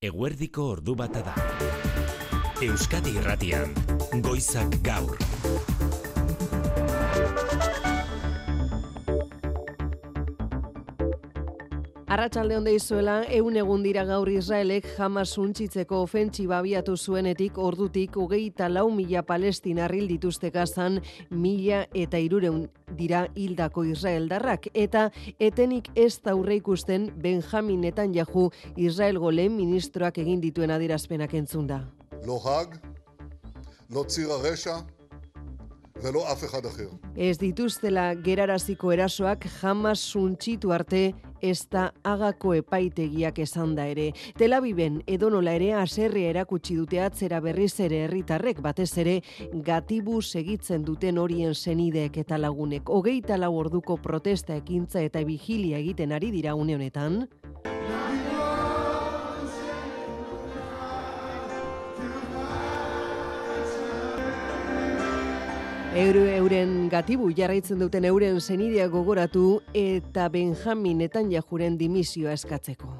Eguerdiko ordu bata da. Euskadi Irratian, Goizak Gaur. Arratsalde on deizuela, 100 egun dira gaur Israelek Hamas suntsitzeko ofentsiba abiatu zuenetik ordutik 24.000 palestinar hil dituzte Gazan, 1.300 dira hildako israeldarrak, eta etenik ez da aurreikusten Benjamin Netanyahu Israelgo lehen ministroak egin dituen adierazpenak entzunda. לא האג, לא ציר הרשע ולא אף אחד אחר. Ez dituztela geraraziko erasoak Hamas suntsitu arte ez da Hagako epaitegiak esan da ere. Tel Aviven edonola ere haserrea erakutsi dute atzera berriz ere herritarrek, batez ere gatibu segitzen duten horien senideek eta lagunek. 24 orduko protesta ekintza eta vigilia egiten ari dira une honetan. Euren gatibu jarraitzen duten euren senideak gogoratu eta Benjamin Netanyahuren dimisioa eskatzeko.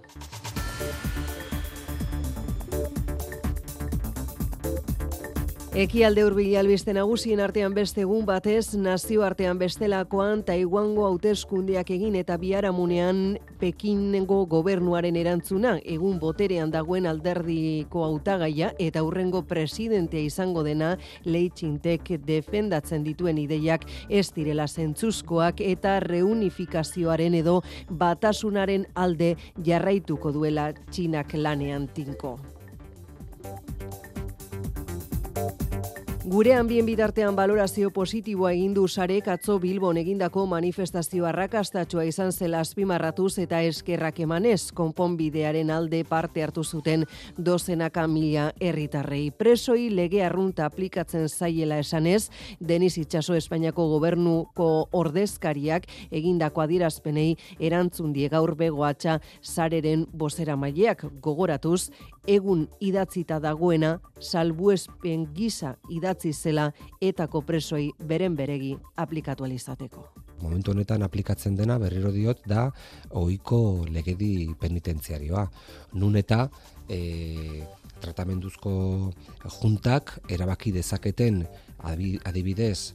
Ekialde hurbil albiste nagusien artean beste egun batez, nazioartean bestelakoan Taiwango hauteskundeak egin eta biharamunean Pekingo gobernuaren erantzuna, egun boterean dagoen alderdiko hautagaia eta hurrengo presidentea izango dena Lee Ching-tek defendatzen dituen ideiak ez direla zentzuzkoak eta reunifikazioaren edo batasunaren alde jarraituko duela Txinak lanean tinko. Gurean bien bitartean balorazio positiboa egin du Sarek atzo Bilbon egindako manifestazio arrakastatsua izan zela azpimarratuz eta eskerrak emanez konponbidearen alde parte hartu zuten dozenaka mila herritarrei. Presoi lege arrunta aplikatzen zaiela esanez, Denis Itxaso Espainiako gobernuko ordezkariak egindako adierazpenei erantzun die gaur Begoatxa Sareren bozeramaileak gogoratuz, egun idatzita dagoena salbuespen gisa idatzi zela etako presoi beren beregi aplikatu alizateko. Momentu honetan aplikatzen dena, berriro diot, da ohiko legedi penitentziarioa. Nun eta tratamenduzko juntak erabaki dezaketen adibidez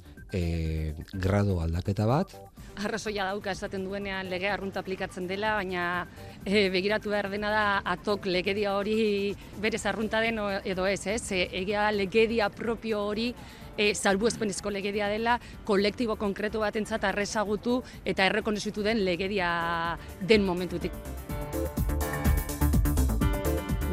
grado aldaketa bat. Arrazoia dauka esaten duenean lege arrunta aplikatzen dela, baina begiratu behar dena da atok legedia hori berez arrunta den edo ez, egia legedia propio hori salbuespenezko legedia dela, kolektibo konkretu batentzat arrezagutu eta errekonozitu den legedia den momentutik.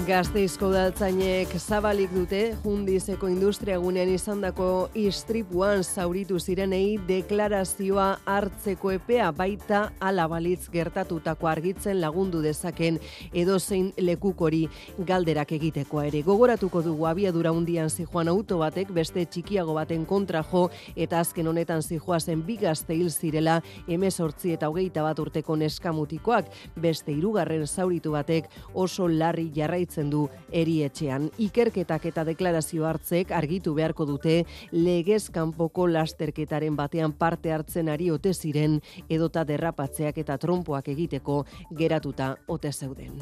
Gasteizko udaltzainek zabalik dute Jundizeko industriagunean izandako istripuan zauritu zirenei deklarazioa hartzeko epea, baita hala balitz gertatutako argitzen lagundu dezaken edozein lekukori galderak egitekoa ere. Gogoratuko dugu abiadura handian zijoan auto batek beste txikiago baten kontra jo eta azken honetan zijoazen 2 gazte hil zirela 18 eta 21 urteko neskamutikoak, beste 3. zauritu batek oso larri jarraitzen du erietxean. Ikerketak eta deklarazio hartzek argitu beharko dute legez kanpoko lasterketaren batean parte hartzen ari ote ziren edota derrapatzeak eta trompoak egiteko geratuta ote zeuden.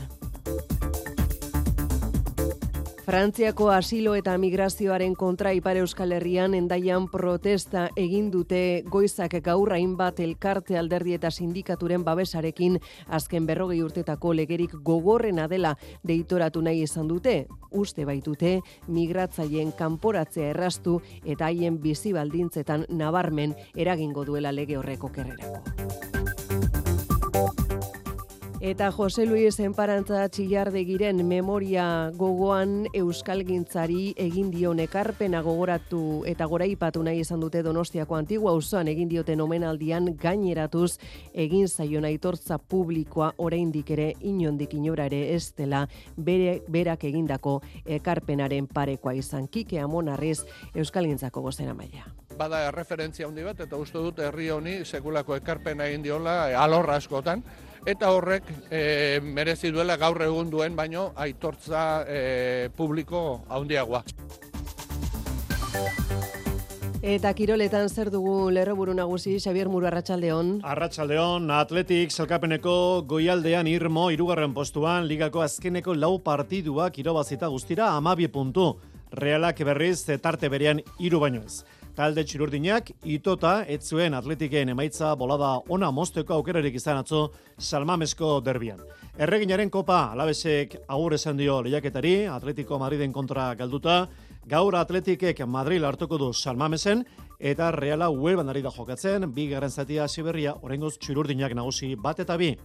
Frantziako asilo eta migrazioaren kontra Ipar Euskal Herrian Hendaian protesta egin dute Goizak Gaur hainbat elkarte, alderdi eta sindikaturen babesarekin azken 40 urtetako legerik gogorrena dela deitoratu nahi izan dute. Uste baitute migratzaileen kanporatzea erraztu eta haien bizi baldintzetan nabarmen eragingo duela lege horrek okerrerako. Eta Jose Luis Enparantza Txillardegiren memoria gogoan euskalgintzari egin dion ekarpena gogoratu eta goraipatu nahi izan dute Donostiako Antigua auzoan egin dioten omenaldian gaineratuz egin zaion aitortza publikoa oraindik ere inondik inora ere ez dela berak egindako ekarpenaren parekoa izan. Kike Amonarriz euskalgintzako bozeramailea. Bada referentzia handi bat eta uste dut herri honi sekulako ekarpena egin diola alor askotan. Eta horrek merezi duela gaur egun duen baino aitortza publiko handiagoa. Eta kiroletan zer dugu lerroburu nagusi, Xabier Muru, arratsaldeon. Arratsaldeon, Athletic sailkapeneko goialdean Irmo 3. postuan, ligako azkeneko 4 partiduak irabazita guztira 12 puntu. Realak berriz tarte berean 3 baino ez. Talde txururdinak itota ez zuen Athleticen emaitza bolada ona mozteko aukerarik izan atzo Salmamesko derbian. Erreginaren kopa Alavesek agur esan dio lehiaketari, Atletico Madriden kontra galduta. Gaur Athleticek Madrid hartuko du Salmamesen eta Reala Huelvan ari da jokatzen, bigarren zatia hasi berria, oraingoz txururdinak nagusi 1-2.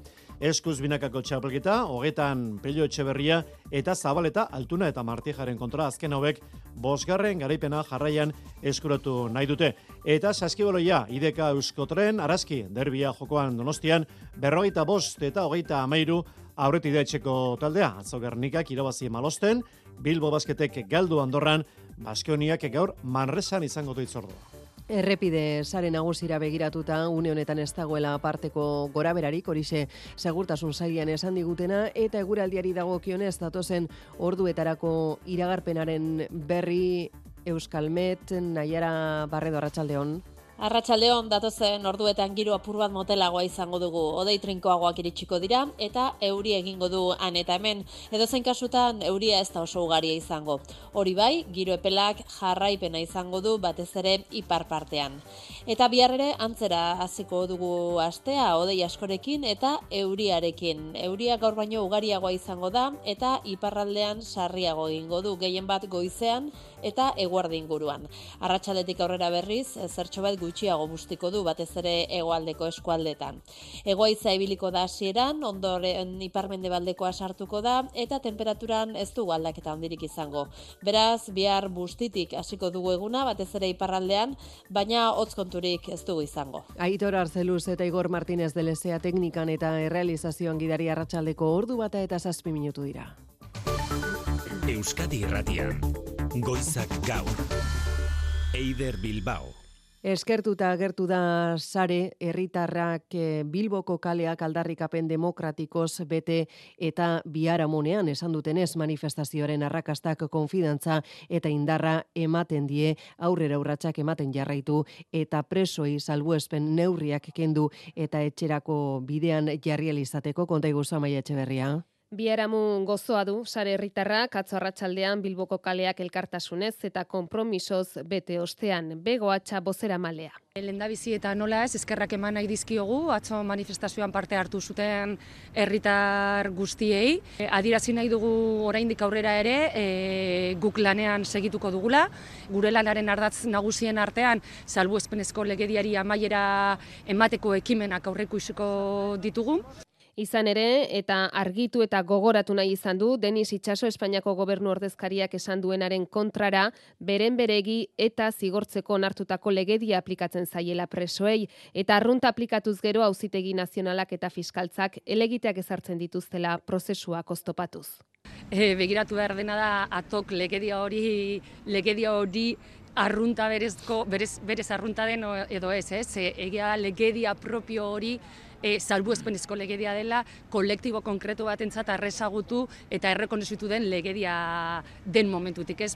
Eskuz binakako txapelketa, hogetan Pello Etxeberria eta Zabaleta, Altuna eta Martijaren kontra azken hauek 5. garaipena jarraian eskuratu nahi dute. Eta saskibaloia, IDK Euskotren, Araski, derbia jokoan Donostian, 45 eta 33 aurretik da etxeko taldea. Atzo Gernikak irabazi Malosten, Bilbo Basketek galdu Andorran, Baskoniak gaur Manresan izango du itzordua. Errepide sare nagusira begiratuta une honetan ez dagoela aparteko goraberarik, horixe segurtasun sailean esan digutena, eta eguraldiari dagokionez datozen orduetarako iragarpenaren berri Euskalmet, Naiara Barredo, arratsaldeon. Arratsaldeon, datozen orduetan giro apur bat motelagoa izango dugu. Hodei trinkoagoak iritsiko dira eta euri egingo du han eta hemen. Edozein kasutan euria ez da oso ugaria izango. Hori bai, giro epelak jarraipena izango du batez ere ipar partean. Eta bihar ere antzera hasiko dugu astea hodei askorekin eta euriarekin. Euria gaur baino ugariagoa izango da eta iparraldean sarriago egingo du, gehien bat goizean eta eguerdi inguruan. Arratsaldetik aurrera berriz, zertxo bat gutxiago bustiko du batez ere hegoaldeko eskualdetan. Hegoaitza ibiliko da hasieran, ondoren iparmendebaldekoa sartuko da eta temperaturan ez dugu aldaketa handirik izango. Beraz, bihar bustitik hasiko dugu eguna batez ere iparraldean, baina hotz konturik ez dugu izango. Aitor Arzeluz eta Igor Martínez de Lezea teknikan eta errealizazioan gidari arratsaldeko 1:07 dira. Euskadi Irratian, Goizak Gaur, Eider Bilbao. Eskertuta agertu da sare herritarrak Bilboko kaleak aldarrikapen demokratikoz bete eta biharamonean esan dutenez manifestazioaren arrakastak konfidantza eta indarra ematen die, aurrera urratsak ematen jarraitu eta presoi salbuespen neurriak kendu eta etxerako bidean jarri ahal izateko. Konta iguzu, Amaia Etxeberria. Biharamun gozoa du sare herritarrak atzo arratsaldean Bilboko kaleak elkartasunez eta konpromisoz bete ostean. Bego Atxa bozeramalea. Lehendabizi eta nola ez, eskerrak eman nahi dizkiogu, atzo manifestazioan parte hartu zuten herritar guztiei. Adierazi nahi dugu oraindik aurrera ere, guk lanean segituko dugula. Gure lanaren ardatz nagusien artean, salbuespenezko legediari amaiera emateko ekimenak aurreikutsiko ditugu. Izan ere, eta argitu eta gogoratu nahi izan du, Denis Itxaso Espainiako gobernu ordezkariak esan duenaren kontrara, beren beregi eta zigortzeko onartutako legedia aplikatzen zaiela presoei, eta arrunta aplikatuz gero Auzitegi Nazionalak eta Fiskaltzak helegiteak ezartzen dituztela prozesuak oztopatuz. Begiratu behar dena da, atok legedia hori arrunta berez arrunta den edo ez, egia legedia propio hori salbuespenezko legedia dela, kolektibo konkretu batentzat arrezagutu eta errekonozitu den legedia den momentutik, ez?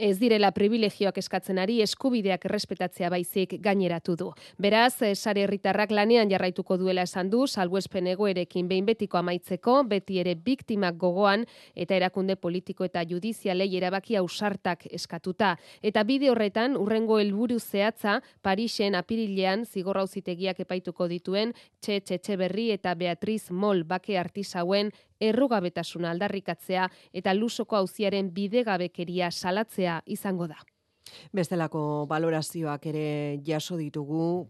Ez direla privilegioak eskatzen ari, eskubideak errespetatzea baizik gaineratu du. Beraz, sare herritarrak lanean jarraituko duela esan du, salbuespen egoerekin behin betiko amaitzeko, beti ere biktimak gogoan eta erakunde politiko eta judizialei erabaki ausartak eskatuta. Eta bide horretan, urrengo helburu zehatza, Parisen apirilean zigor auzitegiak epaituko dituen Etxeberri eta Beatriz Mol bake artisauen errugabetasuna aldarrikatzea eta lusoko auziaren bidegabekeria salatzea izango da. Bestelako balorazioak ere jaso ditugu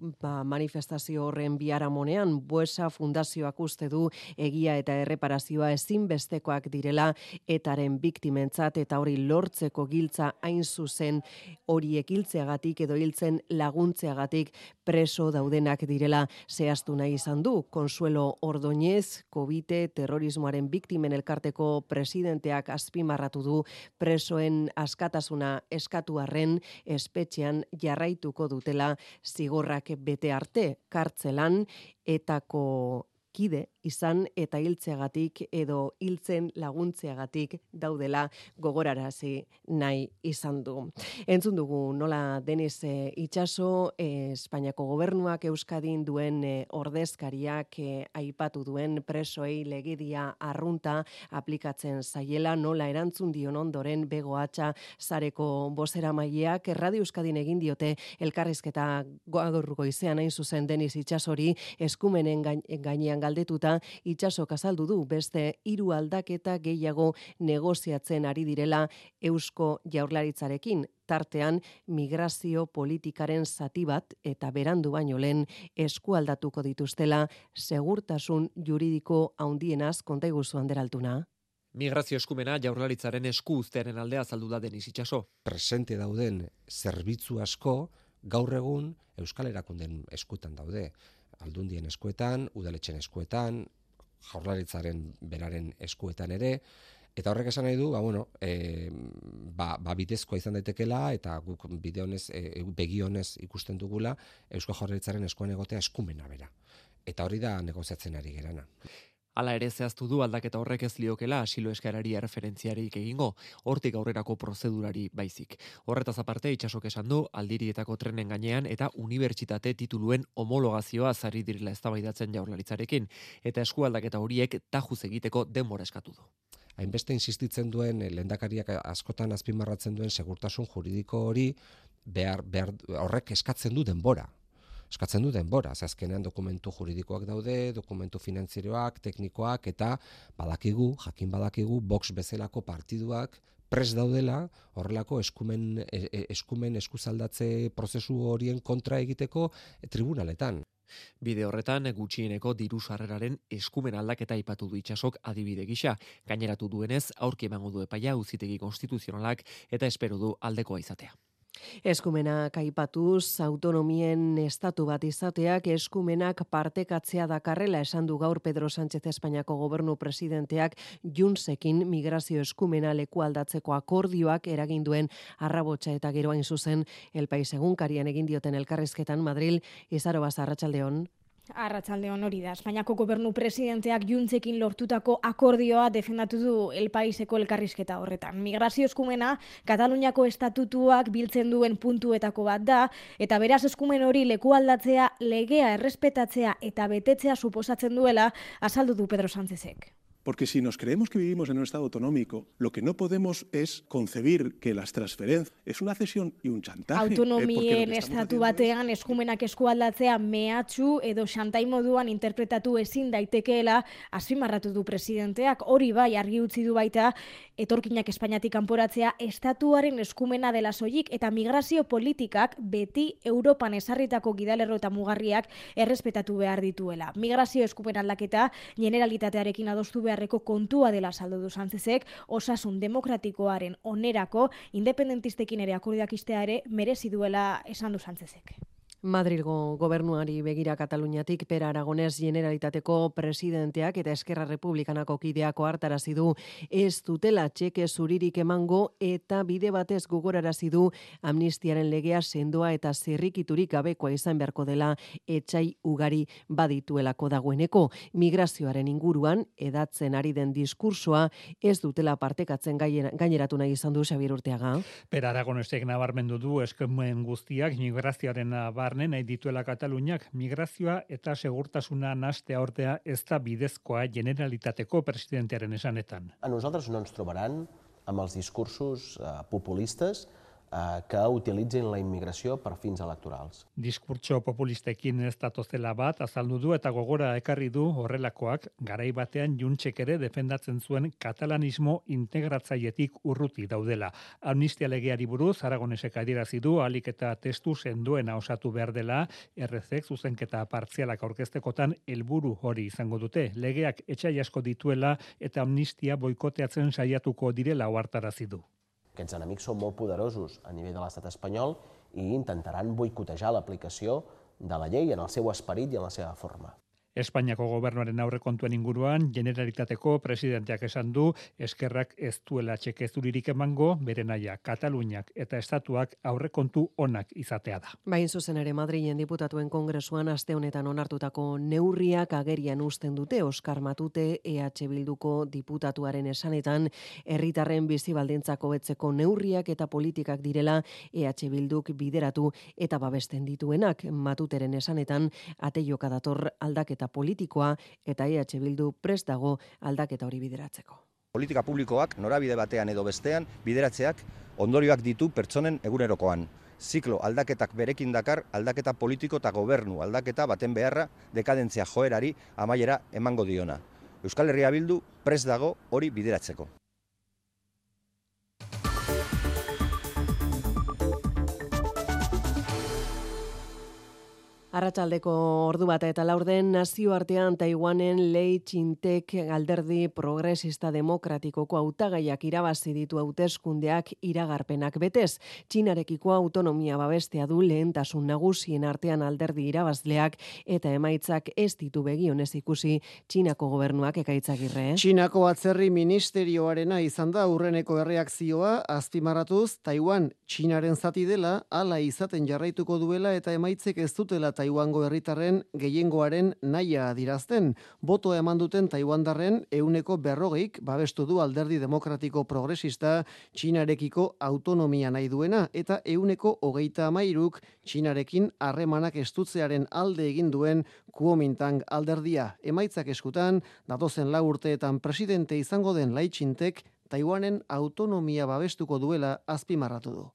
manifestazio horren biharamonean. Buesa Fundazioak uste du egia eta erreparazioa ezinbestekoak direla etaren biktimentzat eta hori lortzeko giltza hain zuzen horiek hiltzeagatik edo hiltzen laguntzeagatik preso daudenak direla zehaztu nahi izan du. Consuelo Ordoñez, Covite terrorismoaren biktimen elkarteko presidenteak azpimarratu du presoen askatasuna eskatu arren espetxean jarraituko dutela zigorrak bete arte, kartzelan etako kide izan eta hiltzeagatik edo hiltzen laguntzeagatik daudela gogorarazi nahi izan du. Entzun dugu nola Denis Itxaso Espainiako gobernuak Euskadin duen ordezkariak aipatu duen presoei legedia arrunta aplikatzen zaiela, nola erantzun dion ondoren Begoatxa sareko bozeramaileak Radio Euskadin egin diote elkarrizketa gaur goizean hain zuzen Denis Itxasori eskumenen gainean galdetuta Itxasok azaldu du beste 3 aldaketa gehiago negoziatzen ari direla Eusko Jaurlaritzarekin, tartean migrazio politikaren zati bat eta berandu baino lehen eskualdatuko dituztela segurtasun juridiko handienaz konta iguzu Anderaltuna. Migrazio eskumena Jaurlaritzaren esku uztearen aldea azaldu da Denis Itxaso. Presente dauden zerbitzu asko gaur egun Euskal Erakunden eskuetan daude. Aldundien eskuetan, udaletxen eskuetan, Jaurlaritzaren beraren eskuetan ere, eta horrek esan nahi du, bidezkoa izan daitekela eta guk begi honez ikusten dugula Eusko Jaurlaritzaren eskuan egotea eskumena bera. Eta hori da negoziatzen ari gerana. Hala ere zehaztu du aldaketa horrek ez liokela asilo eskarari erreferentziarik egingo, hortik aurrerako prozedurari baizik. Horretaz aparte Itxasok esan du aldirietako trenen gainean eta unibertsitate tituluen homologazioa zari direla eztabaidatzen Jaurlaritzarekin, eta eskualdaketa horiek tajuz egiteko denbora eskatu du. Hainbeste insistitzen duen lehendakariak askotan azpimarratzen duen segurtasun juridiko hori horrek eskatzen du denbora. Azkenean dokumentu juridikoak daude, dokumentu finantzieroak, teknikoak, eta jakin badakigu, Vox bezalako partiduak prest daudela horrelako eskumen eskuzaldatze prozesu horien kontra egiteko tribunaletan. Bide horretan, gutxieneko diru sarreraren eskumen aldaketa aipatu du Itxasok adibide gisa. Gaineratu duenez, aurki emango du epaia Auzitegi Konstituzionalak eta espero du aldekoa izatea. Eskumenak aipatuz, autonomien estatu bat izateak eskumenak partekatzea dakarrela esan du gaur Pedro Sánchez Espainiako gobernu presidenteak Juntsekin migrazio eskumena lekualdatzeko akordioak eragin duen arrabotsa eta gero hain zuzen El País egunkarian egin dioten elkarrizketan Madril. Izarobaz, arratsaldeon. Arratsaldeon, hori da. Espainiako gobernu presidenteak Juntsekin lortutako akordioa defendatu du El Paiseko elkarrizketa horretan. Migrazio eskumena Kataluniako estatutuak biltzen duen puntuetako bat da, eta beraz eskumen hori lekualdatzea, legea errespetatzea eta betetzea suposatzen duela azaldu du Pedro Sánchezek. Porque si nos creemos que vivimos en un Estado autonómico, lo que no podemos es concebir que las transferencias es una cesión y un chantaje. Autonomien estatu batean eskumenak eskualdatzea mehatxu edo xantai moduan interpretatu ezin daitekeela azpimarratu du presidenteak. Hori bai argi utzi du baita etorkinak Espainiatik kanporatzea estatuaren eskumena dela soilik eta migrazio politikak beti Europan ezarritako gidalerro eta mugarriak errespetatu behar dituela. Migrazio eskumen aldaketa generalitatearekin adostu beharreko kontua dela saldu du Sánchezek, osasun demokratikoaren onerako independentistekin ere akordioak istea ere merezi duela esan du Sánchezek. Madrilgo gobernuari begira Kataluniatik Pere Aragonés Generalitateko presidenteak eta Eskerra Republikanako kideak ohartarazi du ez dutela txeke zuririk emango eta bide batez gogorarazi du amnistiaren legea sendoa eta zirrikiturik gabekoa izan beharko dela etsai ugari badituelako dagoeneko. Migrazioaren inguruan edatzen ari den diskursoa ez dutela partekatzen gaineratu nahi izan du Xabier Urteaga. Pere Aragonesek nabarmendu du eskumen guztiak migrazioaren nahi dituela Kataluniak, migrazioa eta segurtasuna nahastea ortea ez da bidezkoa Generalitateko presidentearen esanetan. A nosaltres no ens trobaran amb els discursos populistes que utilitzin la immigració per fins electorals. Diskurtso populistekin ez datozela bat azaldu du eta gogora ekarri du horrelakoak garai batean Juntsek ere defendatzen zuen katalanismo integratzailetik urruti daudela. Amnistia legeari buruz Aragonesek adierazi du ahalik eta testu sendoena osatu behar dela, RZek zuzenketa partzialak aurkeztekotan helburu hori izango dute. Legeak etsai asko dituela eta amnistia boikoteatzen saiatuko direla ohartarazi du. Aquests enemics són molt poderosos a nivell de l'estat espanyol i intentaran boicotejar l'aplicació de la llei en el seu esperit i en la seva forma. Espainiako gobernuaren aurrekontuen inguruan, Generalitateko presidenteak esan du, eskerrak ez duela txeke zuririk emango, bere naia Kataluniak eta Estatuak aurrekontu onak izatea da. Bain zuzen ere Madrilen diputatuen kongresuan aste honetan onartutako neurriak agerian uzten dute Oskar Matute EH Bilduko diputatuaren esanetan herritarren bizi baldintzak hobetzeko neurriak eta politikak direla EH Bilduk bideratu eta babesten dituenak. Matuteren esanetan ateioka dator aldaketa politikoa eta EH Bildu prest dago aldaketa hori bideratzeko. Politika publikoak norabide batean edo bestean bideratzeak ondorioak ditu pertsonen egunerokoan. Ziklo aldaketak berekin dakar aldaketa politiko eta gobernu aldaketa baten beharra dekadentzia joerari amaiera emango diona. Euskal Herria Bildu prest dago hori bideratzeko. Arratsaldeko ordu bata eta laurden nazioartean Taiwanen Lei Ching-tek alderdi progresista demokratikoko hautagaiak irabazi ditu hauteskundeak iragarpenak betez. Txinarekiko autonomia babestea du lehentasun nagusien artean alderdi irabazleak eta emaitzak ez ditu begionez ikusi Txinako gobernuak Ekaitzagirre. Txinako atzerri ministerioarena izan da aurreneko erreakzioa azpimarratuz Taiwan Txinaren zati dela hala izaten jarraituko duela eta emaitzek ez dutela Taiwango herritarren gehiengoaren nahia adirazten. Botoa eman duten taiwandarren 40%, babestu du alderdi demokratiko progresista Txinarekiko autonomia nahi duena eta 23%, Txinarekin harremanak estutzearen alde egin duen Kuomintang alderdia. Emaitzak eskutan, datozen 4 urteetan presidente izango den Lai Ching-tek Taiwanen autonomia babestuko duela azpimarratu du.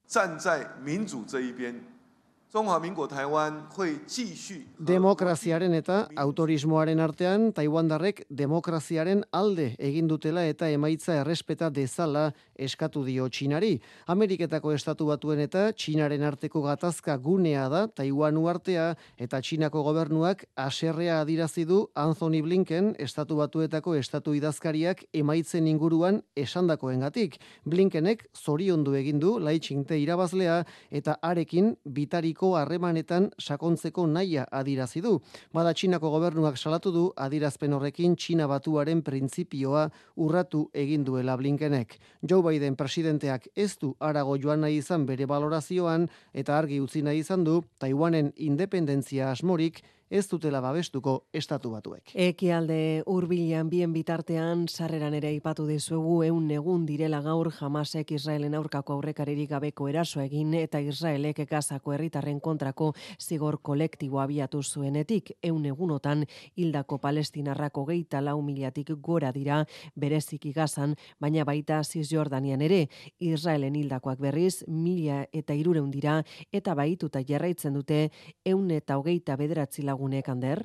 Demokraziaren eta autorismoaren artean, Taiwandarrek demokraziaren alde egin dutela eta emaitza errespeta dezala eskatu dio Txinari. Ameriketako Estatu Batuen eta Txinaren arteko gatazka gunea da Taiwanu artea eta Txinako gobernuak haserrea adirazi du Anthony Blinken, Estatu Batuetako estatu idazkariak emaitzen inguruan esandakoengatik. Blinkenek zoriondu egin du Lai Ching-te irabazlea eta harekin bitariko harremanetan sakontzeko nahia adirazi du. Bada Txinako gobernuak salatu du adirazpen horrekin Txina batuaren printzipioa urratu egin duela Blinkenek. Joe Biden presidenteak ez du harago joan nahi izan bere valorazioan eta argi utzi nahi izan du Taiwanen independentzia asmorik ez dutela babestuko Estatu Batuek. Ekialde hurbilean bien bitartean sarreran ere aipatu dizuegu 100 egun direla gaur Hamasek Israelen aurkako aurrekaririk gabeko eraso egin eta Israelek Gazako herritarren kontrako zigor kolektibo abiatu zuenetik 100 egunotan hildako palestinarrak 24,000 gora dira bereziki Gazan, baina baita Cisjordanian ere. Israelen hildakoak berriz 1,300 dira eta bahituta jarraitzen dute 129 lagunek, Ander.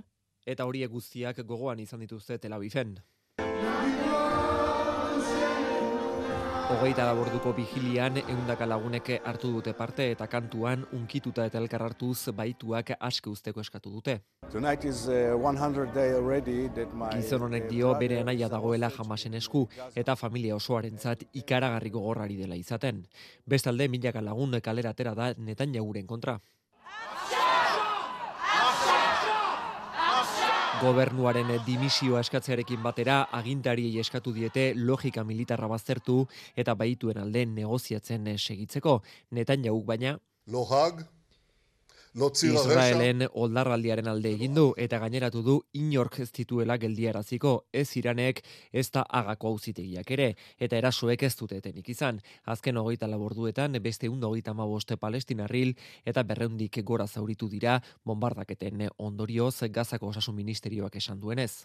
Eta horiek guztiak gogoan izan dituzte Tel Aviven. 24 orduko vigilian 100 lagunek hartu dute parte eta kantuan unkituta eta elkar hartuz baituak aske uzteko eskatu dute. Gizon honek dio bere anaia dagoela Hamasen esku eta familia osoarentzat ikaragarri gogorrari dela izaten. Bestalde 1000 lagun kalera atera da Netanyahuren kontra. Gobernuaren dimisioa eskatzearekin batera agintariei eskatu diete logika militarra baztertu eta baituen alde negoziatzen segitzeko. Netanyahuk baina Israelen oldarraldiaren alde egin du eta gaineratu du inork ez dituela geldiaraziko, ez Iranek ez da Hagako auzitegiak ere, eta erasoek ez dute etenik izan. Azken 24 orduetan beste 135 palestinarril eta 200 gora zauritu dira bombardaketen ondorioz Gazako osasun ministerioak esan duenez.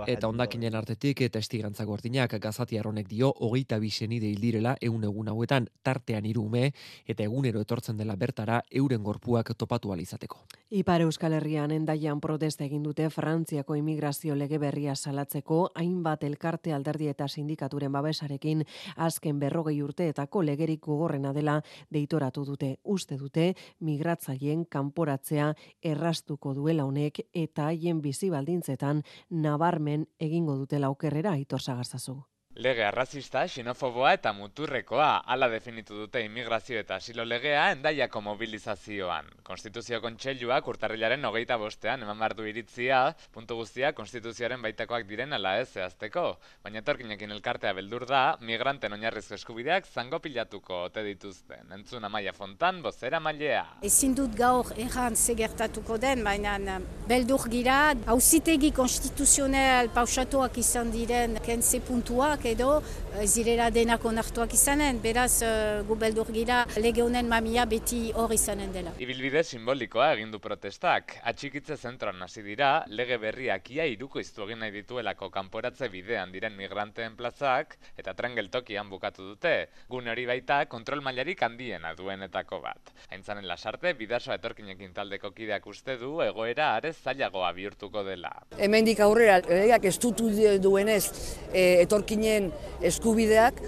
Eta hondakinen artetik testigantza gordinak Gazatiar honek dio 22 senide hil direla 100 egun hauetan tartean 3 ume eta egunero etortzen dela bertara euren gorpuak topatu ahal izateko. Ipar Euskal Herrian Hendaian protesta egin dute Frantziako immigrazio lege berria salatzeko hainbat elkarte alderdi eta sindikaturen babesarekin azken 40 urteetako legerik gogorrena dela deitoratu dute. Uste dute migratzaileen kanporatzea erraztuko duela honek eta haien bizi baldintzetan nabarmen egingo dutela okerrera Aitor Sagarzazu. Lege arrazista, xenofoboa eta muturrekoa, hala definitu dute immigrazio eta asilo legea Hendaiako mobilizazioan. Konstituzio Kontseiluak urtarrilaren 25ean eman behar du iritzia, puntu guztia konstituzioaren baitakoak diren ala ez zehazteko. Baina etorkinekin elkartea beldur da, migranten oinarrizko eskubideak zango pilatuko ote dituzten. Entzun Amaia Fontan, bozera mailea. Ezin dut gaur erran gertatuko den, baina beldur gira, auzitegi konstituzional pausatuak izan diren kentze puntuak, edo zirela denak onartuak izanen, beraz gu beldur gira lege honen mamia beti hor izanen dela. Ibilbide simbolikoa egin du protestak. Atxikitze zentroan hasi dira, lege berriak ia irukoiztu egin nahi dituelako kanporatze bidean diren migranteen plazak, eta tren geltokian bukatu dute. Gune hori baita kontrol mailarik handiena duenetako bat. Aintzanen Lasarte, Bidasoa etorkinekin taldeko kideak uste du egoera are zailagoa bihurtuko dela. Hemendik aurrera, legeak estutu duenez etorkinen eskubideak,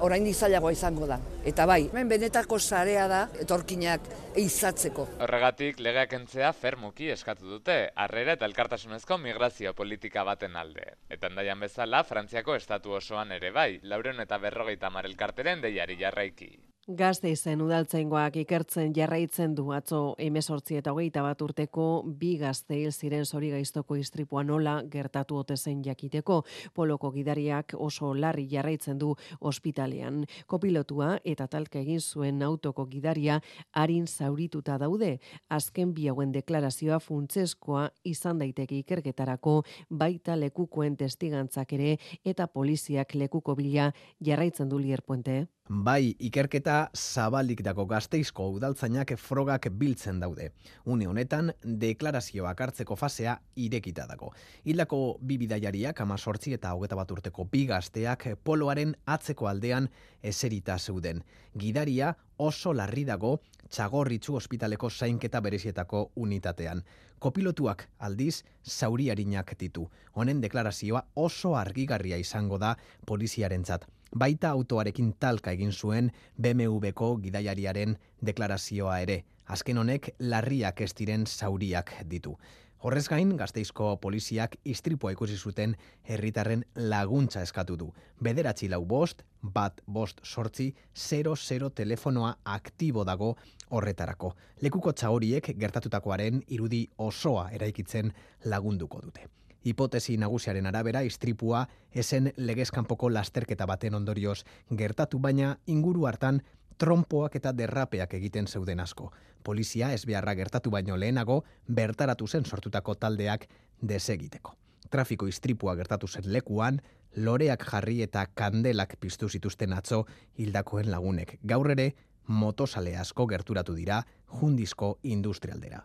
oraindik zailagoa izango da. Eta bai, hemen benetako sarea da etorkinak eizatzeko. Horregatik, legeak entzea fermuki eskatu dute, harrera eta elkartasunezko migrazio politika baten alde. Eta Hendaian bezala, Frantziako estatu osoan ere bai, 450 elkarteren deiari jarraiki. Gasteizen udaltzaingoak ikertzen jarraitzen du atzo 18 eta 21 urteko bi gazte hil ziren zorigaiztoko istripua nola gertatu ote zen jakiteko. Poloko gidariak oso larri jarraitzen du ospitalean. Kopilotua eta talka egin zuen autoko gidaria arin zaurituta daude. Azken bi hauen deklarazioa funtsezkoa izan daiteke ikerketarako, baita lekukoen testigantzak ere eta poliziak lekuko bila jarraitzen du Lier Puente. Bai, ikerketa zabalik dago Gasteizko udaltzainak frogak biltzen daude. Une honetan, deklarazioak hartzeko fasea irekita dago. Hildako bi bidaiariak 18 eta 21 urteko bi gazteak poloaren atzeko aldean eserita zeuden. Gidaria oso larri dago Txagorritxu ospitaleko zainketa berezietako unitatean. Kopilotuak aldiz zauriarinak ditu. Honen deklarazioa oso argigarria izango da poliziarentzat. Baita autoarekin talka egin zuen BMW-ko gidaiariaren deklarazioa ere. Azken honek larriak ez diren zauriak ditu. Horrez gain, Gasteizko poliziak istripua ikusi zuten herritarren laguntza eskatu du. 945-158-00 telefonoa aktibo dago horretarako. Lekuko txagoriek gertatutakoaren irudi osoa eraikitzen lagunduko dute. Hipotesi nagusiaren arabera, istripua esen legezkanpoko lasterketa baten ondorioz gertatu, baina inguru hartan trompoak eta derrapeak egiten zeuden asko. Polizia ezbeharra gertatu baino lehenago bertaratu zen sortutako taldeak desegiteko. Trafiko istripua gertatu zen lekuan, loreak jarri eta kandelak piztu zituzten atzo hildakoen lagunek. Gaur ere, motosale asko gerturatu dira Jundizko industrialdera.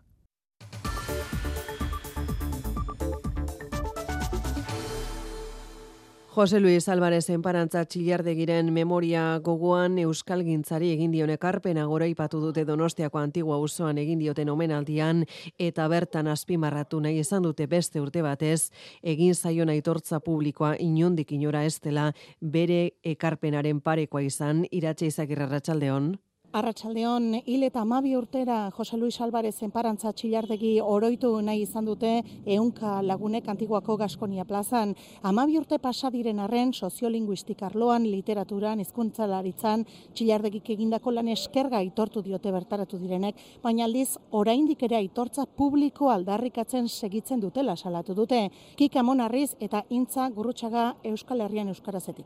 Jose Luis Álvarez enparantza Txillardegiren memoria gogoan euskalgintzari egin dion ekarpena goraipatu dute Donostiako Antigua auzoan egin dioten omenaldian eta bertan azpimarratu nahi izan dute beste urte batez egin zaion aitortza publikoa inondik inora ez dela bere ekarpenaren parekoa izan. Iratxe Izagirre, arratsaldeon. Arratsaldeon, hil eta 12 urtera Jose Luis Álvarez enparantza Txillardegi oroitu nahi izan dute 100 lagunek Antiguako Gaskonia plazan. 12 urte pasa diren arren soziolinguistik arloan, literaturan, hizkuntzalaritzan Txillardegik egindako lan eskerga aitortu diote bertaratu direnek, baina aldiz oraindik ere aitortza publiko aldarrikatzen segitzen dutela salatu dute. Kika Monarriz eta Intza Gurrutxaga Euskal Herrian euskarazetik.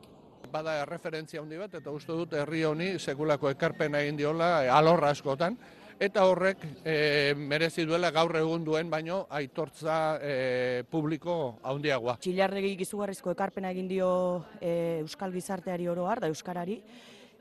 Bada referentzia handi bat, eta uste dut herri honi sekulako ekarpena egin diola alorra askotan, eta horrek merezi duela gaur egun duen baino aitortza publiko handiagoa. Txillardegik izugarrizko ekarpena egin dio euskal gizarteari oro har, da euskarari,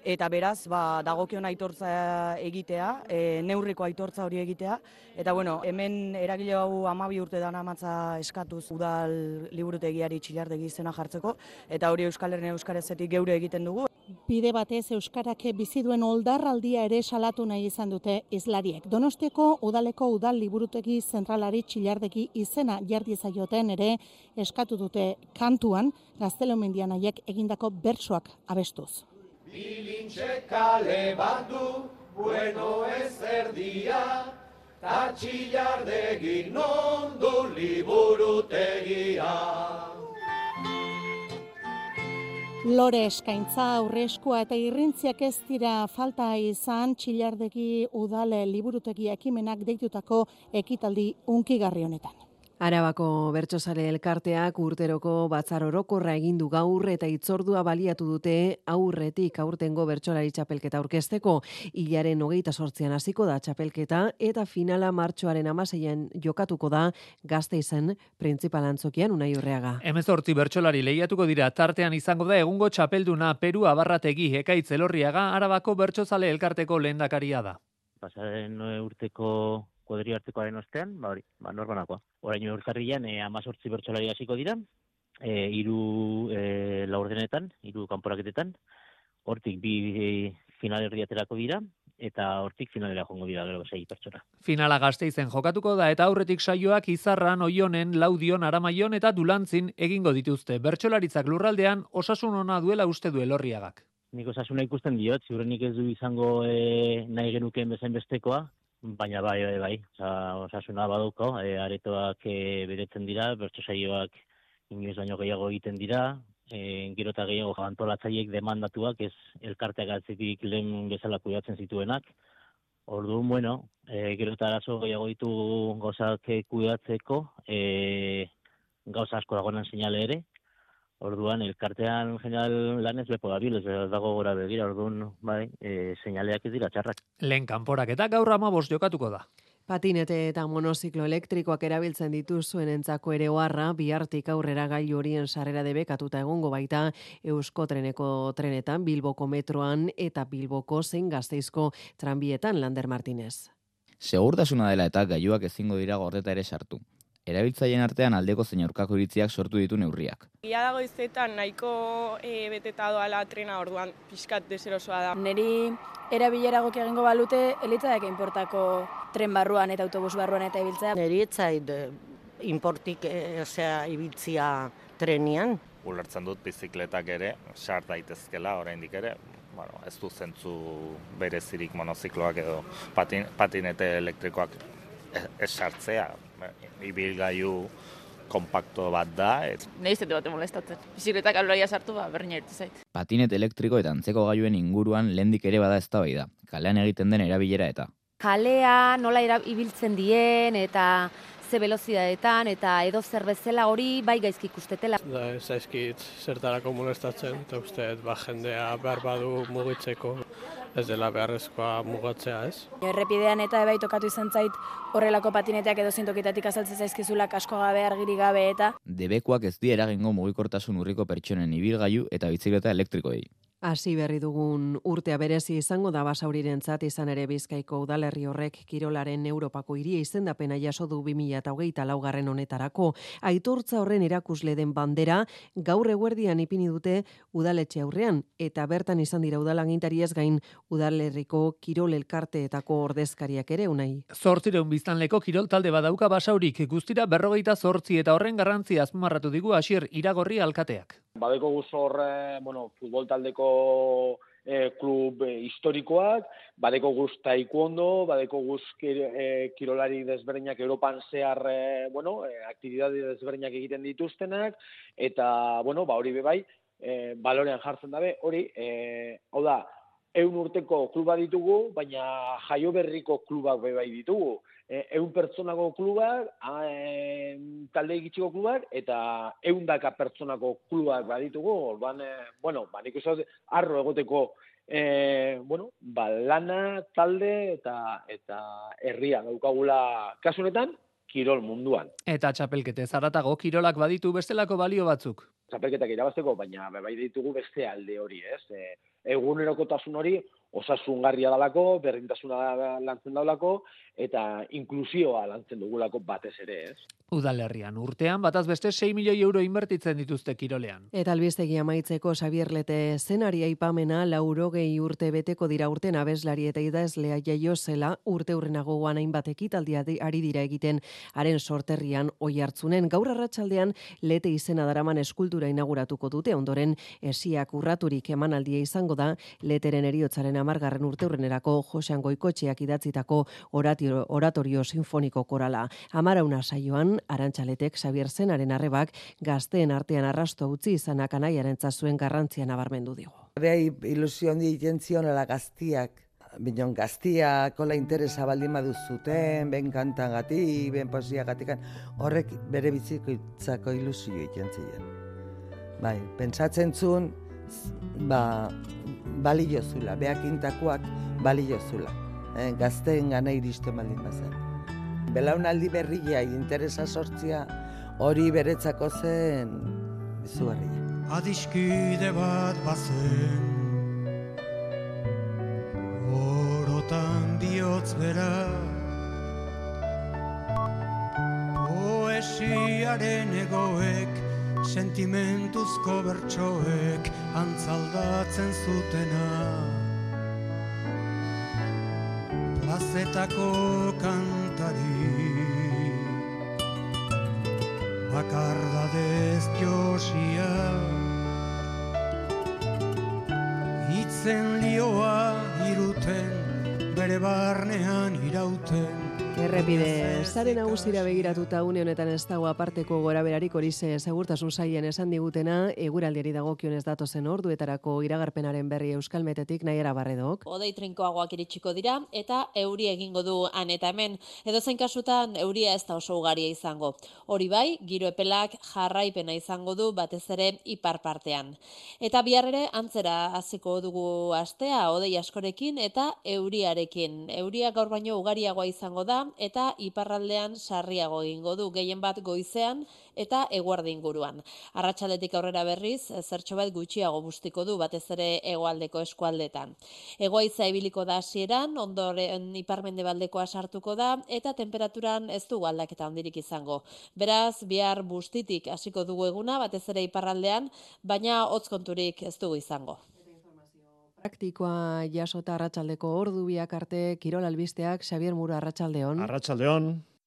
eta beraz, dagokion aitortza egitea, neurriko aitortza hori egitea, eta hemen eragile hau 12 urte dana amatza eskatuz udal liburutegiari Txillardegi izena jartzeko, eta hori Euskal Herrian euskarazetik geure egiten dugu. Bide batez euskarak bizi duen oldarraldia ere salatu nahi izan dute hizlariek. Donostiako udaleko udal liburutegi zentralari Txillardegi izena jarri zaioten ere eskatu dute kantuan Gaztelumendian haiek egindako bertsoak abestuz. Bilintxe kale bat du, bueno ez erdia, ta Txillardegi non du liburutegia. Lore eskaintza, aurreskua eta irrintziak ez dira falta izan Txillardegi udale liburutegi ekimenak deitutako ekitaldi hunkigarri honetan. Arabako Bertsozale elkarteak urteroko batzar orokorra egin du gaur eta hitzordua baliatu dute aurretik aurtengo bertsolari txapelketa aurkezteko. Hilaren 28an hasiko da txapelketa eta finala martxoaren 16an jokatuko da Gasteizen printzipal antzokian Unai Urreaga. 18 bertsolari lehiatuko dira, tartean izango da egungo txapelduna Peru Abarrategi, Ekaitz Elorriaga, Arabako Bertsozale elkarteko lehendakaria da. Pasaren urteko kuadri artekoaren ostean, norbanakoa. Orain urtarrilean 18 bertsolari hasiko dira, 3 laurdenetan, 3 kanporaketetan, hortik 2 finalerdiaterako dira, eta hortik finalera joango dira gero 6 pertsona. Finala Gasteizen jokatuko da eta aurretik saioak Izarran, Oionen, Laudion, Aramaion eta Dulantzin egingo dituzte. Bertsolaritzak lurraldean osasun ona duela uste du Elorriagak. Nik osasuna ikusten diot, ziurrenik ez du izango nahi genukeen bezain bestekoa, baina bai. Osasuna baduko, aretoak beretzen dira, bertso saioak inoiz baino gehiago egiten dira, gero eta gehiago antolatzaileek demandatuak, ez elkarteak atzetik lehen bezala kudeatzen zituenak. Orduan, gero eta arazo gehiago ditu gauzak kudeatzeko, gauza asko dagoenan seinale ere. Orduan, elkartean general lanez lepo dabil, ez dago gora begira, orduan, seinaleak ez dira txarrak. Lehen kanporak eta gaur 15 jokatuko da. Patinete eta monoziklo elektrikoak erabiltzen dituzuen entzako ere oharra, bihartik aurrera gailu horien sarrera debekatuta egongo baita Euskotreneko trenetan, Bilboko metroan eta Bilboko zein Gasteizko tranbietan, Lander Martinez. Segurtasuna dela eta gailuak ezingo dira gordeta ere sartu. Erabiltzaileen artean aldeko zein aurkako iritziak sortu ditu neurriak. Ia dago izetan nahiko beteta doala trena, orduan pixkat deserosoa da. Neri erabilera goki egingo balute, elitzaiak inportako tren barruan eta autobus barruan eta ibiltzea. Neri etzait inportik ibiltzia trenian. Ulertzen dut bizikletak ere, sar daitezkela oraindik ere, ez du zentzu berezirik monozikloak edo patinete elektrikoak ez sartzea. Ibilgailu kompakto bat da. Nahi izate bat molestatzen. Bizikletak aloraia sartu, berdina irtu zait. Patinet elektriko eta antzeko gailuen inguruan lehendik ere bada eztabaida. Kalean egiten den erabilera eta. Kalea nola ibiltzen dien eta ze velozidadetan eta edo zer bezala hori bai gaizki ikustetela. Ez zaizkit zertarako molestatzen, eta uste jendea behar badu mugitzeko. Ez dela beharrezkoa mugatzea, ez? Errepidean eta bai tokatu izan zait horrelako patineteak edo zintokitatik azaltzen zaizkizula kasko gabe, argiri gabe eta... Debekuak ez di eragingo mugikortasun urriko pertsonen ibilgailu eta bizikleta elektrikoei. Hasi berri dugun urtea berezi izango da Basaurirentzat, izan ere Bizkaiko udalerri horrek kirolaren Europako hiria izendapena jaso du 2024 honetarako. Aitortza horren erakusle den bandera gaur eguerdian ipini dute udaletxe aurrean eta bertan izan dira udalagintariez gain udalerriko kirol elkarteetako ordezkariak ere Unai. 800 biztanleko kirol talde badauka Basaurik, guztira 48 eta horren garrantzia azpimarratu digu Asier Iragorri alkateak. Badeko guz horre, futbol taldeko klub historikoak, badeko guz taekwondo, badeko guz kirolari desberdinak Europan zehar, aktibitate desberdinak egiten dituztenak, eta, hori bebai, balorean jartzen dabe, hori, hau da, 100 urteko kluba ditugu, baina jaio berriko klubak bebai ditugu. 100 pertsonako klubak, talde egitxiko klubak, eta 100 pertsonako klubak baditugu. Orduan, nik uste arro egoteko lana, talde eta herria daukagula kasunetan, kirol munduan. Eta txapelketez haratago kirolak baditu bestelako balio batzuk. Txapelketak irabazteko, baina bai ditugu beste alde hori, ez? Egunerokotasun hori osasungarria dalako, berdintasuna lantzen daulako, eta inklusioa lantzen dugulako batez ere, ez? Udalerrian urtean, bataz beste 6 milioi euro inbertitzen dituzte kirolean. Eta albistegi amaitzeko Xabier Lete zenari aipamena 80 urte beteko dira urten abeslari eta idazlea jaio zela urte hurrenagoan hainbat ekitaldia ari dira egiten haren sorterrian Oiartzunen. Gaur arratsaldean Lete izena daraman eskultura inauguratuko dute, ondoren esiak urraturik emanaldia izango da Leteren heriotzaren 10. urteurrenerako Josean Goikotxeak idatzitako oratorio sinfoniko korala. Amarauna saioan, Arantxaletek Xabier Zenaren arrebak gazteen artean arrasto utzi izanak anaiarentza zuen garrantzia nabarmendu digu. Beha ilusio handi egiten zionela gaztiak, binon gaztiak, kola interesa baldin baduzuten, ben kantagatik, ben posiagatik, horrek bere bizikoitzako ilusio egiten ziren. Bai, pentsatzen zuen, balio zula, beak intakoak balio zula, gazteen gana iristen baldin bazen. Belaunaldi berria interesa sortzia hori beretzako zen izugarria. Adiskide bat bazen, orotan bihotz bera, poesiaren egoek, sentimentuzko bertsoek antzaldatzen zutena. Plazetako kantari, bakardadez josia, itzen lioa iruten, bere barnean irauten. Errepide, sare nagusira begiratuta une honetan ez dago aparteko goraberarik horize segurtasun sailen esan digutena, eguraldiari dagokionez datozen orduetarako iragarpenaren berri Euskalmetetik Naiara Barredok. Hodei trinkoagoak iritsiko dira eta euri egingo du han eta hemen. Edozein kasutan euria ez da oso ugaria izango. Hori bai, giro epelak jarraipena izango du batez ere ipar partean. Eta bihar ere antzera hasiko dugu astea hodei askorekin eta euriarekin. Euria gaur baino ugariagoa izango da eta iparraldean sarriago egingo du, gehien bat goizean eta eguerdi inguruan. Arratsaldetik aurrera berriz, zertxo bat gutxiago bustiko du, batez ere hegoaldeko eskualdetan. Hegoaitza ibiliko da hasieran, ondoren iparmendebaldekoa sartuko da, eta temperaturan ez dugu aldaketa handirik izango. Beraz, bihar bustitik hasiko dugu eguna, batez ere iparraldean, baina hotz konturik ez dugu izango. Praktikoa jasota arratsaldeko ordu biak arte kirol albisteak Xabier Muro arratsaldeon. Arratsaldeon.